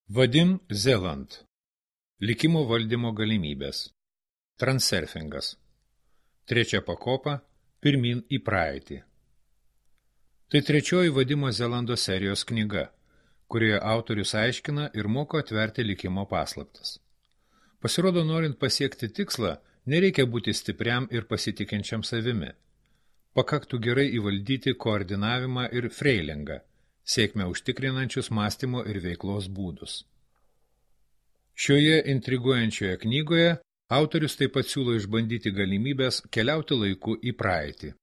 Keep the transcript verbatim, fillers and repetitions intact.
Vadim Zeland. Likimo valdymo galimybės. Transurfingas. Trečia pakopa – pirmyn į praeitį. Tai trečioji Vadimo Zelando serijos knyga, kurioje autorius aiškina ir moko atverti likimo paslaptis. Pasirodo, norint pasiekti tikslą, nereikia būti stipriam ir pasitikinčiam savimi. Pakaktų gerai įvaldyti koordinavimą ir freilingą, sėkmę užtikrinančius mąstymo ir veiklos būdus. Šioje intriguojančioje knygoje autorius taip pat siūlo išbandyti galimybės keliauti laiku į praeitį.